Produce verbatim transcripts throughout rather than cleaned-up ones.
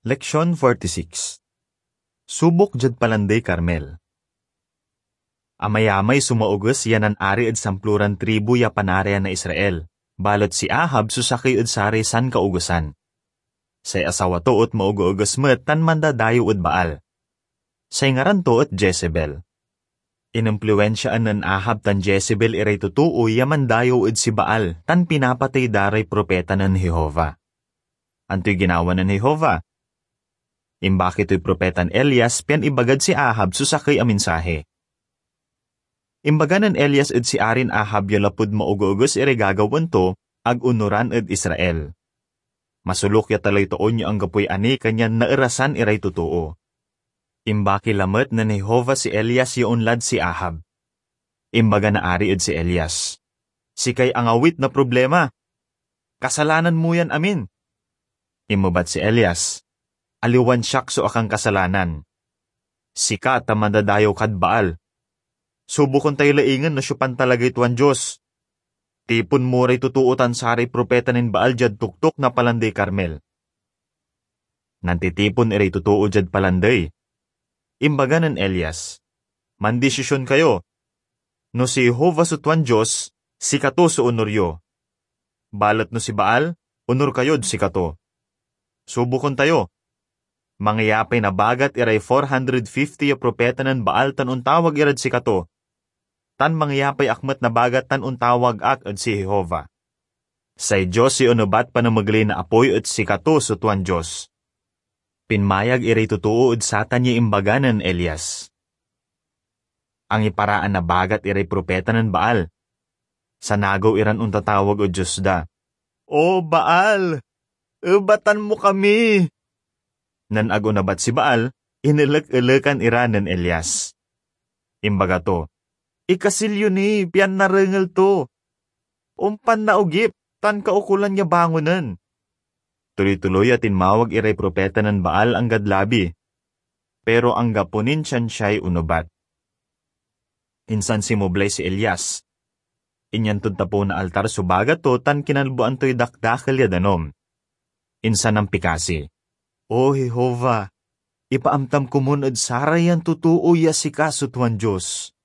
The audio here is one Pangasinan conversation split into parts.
Leksion forty-six. Subok diad Palandey Carmel. Amayamay so maoges ya nanari ed samploran tribu ya Panarian na Israel, balet si Ahab so sakey ed saray sankaogesan. Say asawa to et maogeoges met tan mandadayew ed Baal. Say ngaran to et Jezebel. Inimpluensiaan nen Ahab tan Jezebel iray totoo ya mandayew ed si Baal tan pinapatey da ray propeta nen Jehovah. Antoy ginawa nen Jehovah? Imbaki toy propetan Elias pian ibagad si Ahab so sakey a mensahe. Imbaga nen Elias ed si Arin Ahab ya lapud maogeoges iray gagawaen to, ag onoran ed Israel. Masoluk ya talay toon ya anggapoy ani kanyan naerasan iray totoo. Imbaki lamet nen Jehovah si Elias ya onlad si Ahab. Imbaga na Ari ed si Elias, "Sikay angawit na problima. Kasalanan mo yan amin." Inmebat si Elias, "Aliwan siak so akankasalanan. Sika ta mandadayew kad Baal. Subuken tayo laingen no siopan talagay tuan Dios. Tipon mo ray totoo tan saray propeta nen Baal diad toktok na Palandey Carmel." Nantitipon iray totoo diad palandey. Imbaga nen Elias, "Mandisisyon kayo. No si Jehovah so tuan Dios, sikato so onor yo. Balet no si Baal, onor kayod sikato. Subuken tayo. Mangiyapay nabagat iray four hundred fifty ya propeta nen Baal tan ontawag irad sikato, tan mangiyapay ak met nabagat tan ontawag ak ed si Jehovah. Say Dios ya onebat panamegley na apoy et sikato so tuan Dios." Pinmayag iray totoo ed satan ya imbaga nen Elias. Angiparaan nabagat iray propeta nen Baal. Sanagew iran ontatawag ed dios da, "O Baal, ebatan mo kami!" Nen ag onebat si Baal, inelek-elekan ira nen Elias. Imbaga to, "Ikasil yo ni pian narengel to. Ompan naogip tan kaukolan ya bangonen." Tuloy-tuloy a tinmawag iray propeta nen Baal anggad labi, pero anggapo nin siansiay onebat. Insan sinmoblay si Elias. Inyan tod tapew na altar so bagat to tan kinalboan toy dakdakel ya danum. Insan nampikasi, "O Jehovah, ipaamtam komun ed sarayan totoo ya sika so tuan Dios."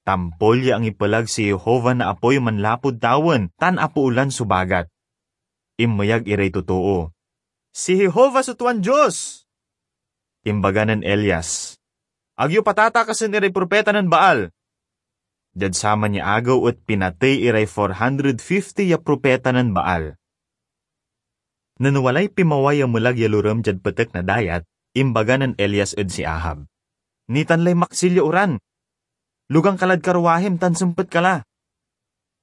Tampol ya angipelag si Jehovah na apoy manlapud tawen tan apoolan so bagat. Inmeyag iray totoo, "Si Jehovah so tuan Dios!" Imbaga nen Elias, "Ag yo patatakasen iray propeta nen Baal." Diad saman ya agew et pinatey iray four hundred fifty ya propeta nen Baal. Nen walay pinmaway a melag ya lorem diad petek na dayat, imbaga nen Elias ed si Ahab, "Nitan lay maksil ya oran. Lugang ka lad karwahim tan sempet ka la."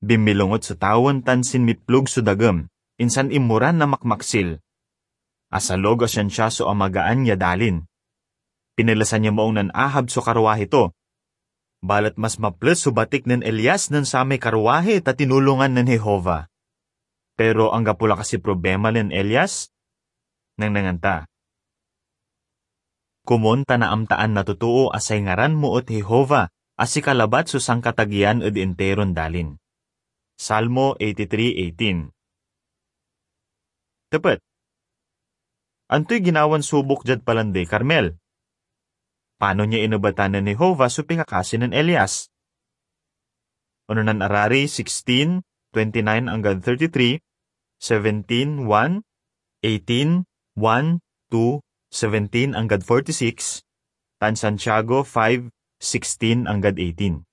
Binmilonget so tawen tan sinmiplog so dagem, insan inmoran na makmaksil. Asalog a siansia so amagaan ya dalin. Pinelesan ya maong nen Ahab so karwahi to. Balet mas maples so batik nen Elias nen samay karwahi ta tinulongan nen Jehovah. Pero anggapo la kasi problema nen Elias? Nengnengen ta. Komon ta naamtaan na totoo a say ngaran mo et Jehovah, a sika labat so sankatageyan ed interon dalin. Salmo eighty-three eighteen. Tepet. Antoy ginawan subok diad Palandey Carmel? Panon ya inebatan nen Jehovah so pikakasi nen Elias? Ononan Arari sixteen, twenty-nine anggad thirty-three, seventeen, one, eighteen, one, two, seventeen anggad forty-six, tan Santiago five, sixteen anggad eighteen.